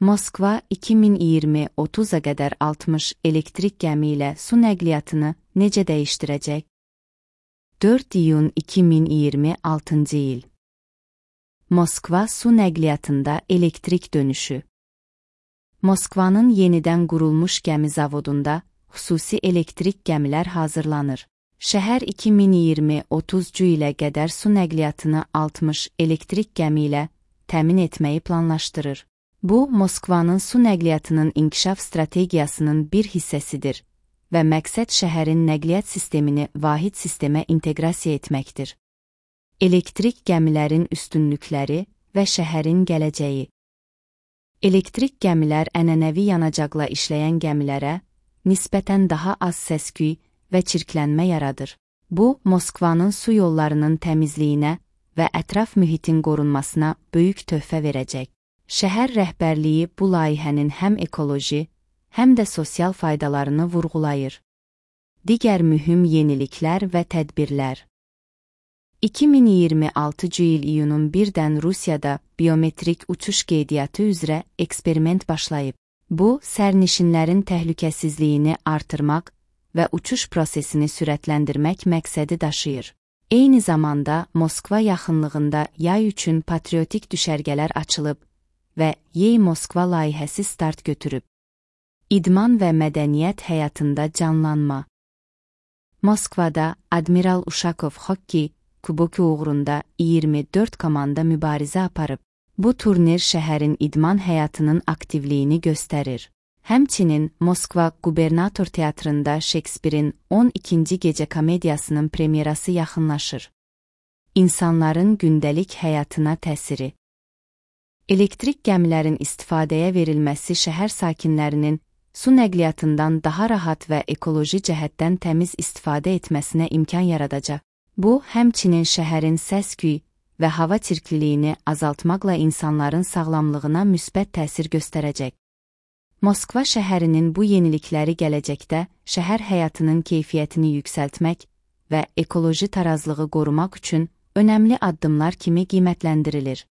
Moskva 2020-30-a qədər 60 elektrik gəmi ilə su nəqliyyatını necə dəyişdirəcək? 4 iyun 2026-cı il. Moskva su nəqliyyatında elektrik dönüşü. Moskvanın yenidən qurulmuş gəmi zavodunda xüsusi elektrik gəmilər hazırlanır. Şəhər 2020-30-cu ilə qədər su nəqliyyatını 60 elektrik gəmi ilə təmin etməyi planlaşdırır. Bu, Moskvanın su nəqliyyatının inkişaf strategiyasının bir hissəsidir və məqsəd şəhərin nəqliyyat sistemini vahid sistemə inteqrasiya etməkdir. Elektrik gəmilərin üstünlükləri və şəhərin gələcəyi. Elektrik gəmilər ənənəvi yanacaqla işləyən gəmilərə nisbətən daha az səs-küy və çirklənmə yaradır. Bu, Moskvanın su yollarının təmizliyinə və ətraf mühitin qorunmasına böyük töhfə verəcək. Şəhər rəhbərliyi bu layihənin həm ekoloji, həm də sosial faydalarını vurğulayır. Digər mühüm yeniliklər və tədbirlər. 2026-cı il iyunun 1-dən Rusiyada biometrik uçuş qeydiyyatı üzrə eksperiment başlayıb. Bu, sərnişinlərin təhlükəsizliyini artırmaq və uçuş prosesini sürətləndirmək məqsədi daşıyır. Eyni zamanda Moskva yaxınlığında yay üçün patriotik düşərgələr açılıb və Yey Moskva layihəsi start götürüb. İdman və mədəniyyət həyatında canlanma. Moskvada Admiral Uşakov Xokkey kuboku uğrunda 24 komanda mübarizə aparıb. Bu turnir şəhərin idman həyatının aktivliyini göstərir. Həmçinin Moskva Qubernator Teatrında Şekspirin 12-ci gecə komediyasının premyerası yaxınlaşır. İnsanların gündəlik həyatına təsiri. Elektrik gəmilərin istifadəyə verilməsi şəhər sakinlərinin su nəqliyyatından daha rahat və ekoloji cəhətdən təmiz istifadə etməsinə imkan yaradacaq. Bu, həmçinin şəhərin səs-küy və hava çirkliliyini azaltmaqla insanların sağlamlığına müsbət təsir göstərəcək. Moskva şəhərinin bu yenilikləri gələcəkdə şəhər həyatının keyfiyyətini yüksəltmək və ekoloji tarazlığı qorumaq üçün önəmli addımlar kimi qiymətləndirilir.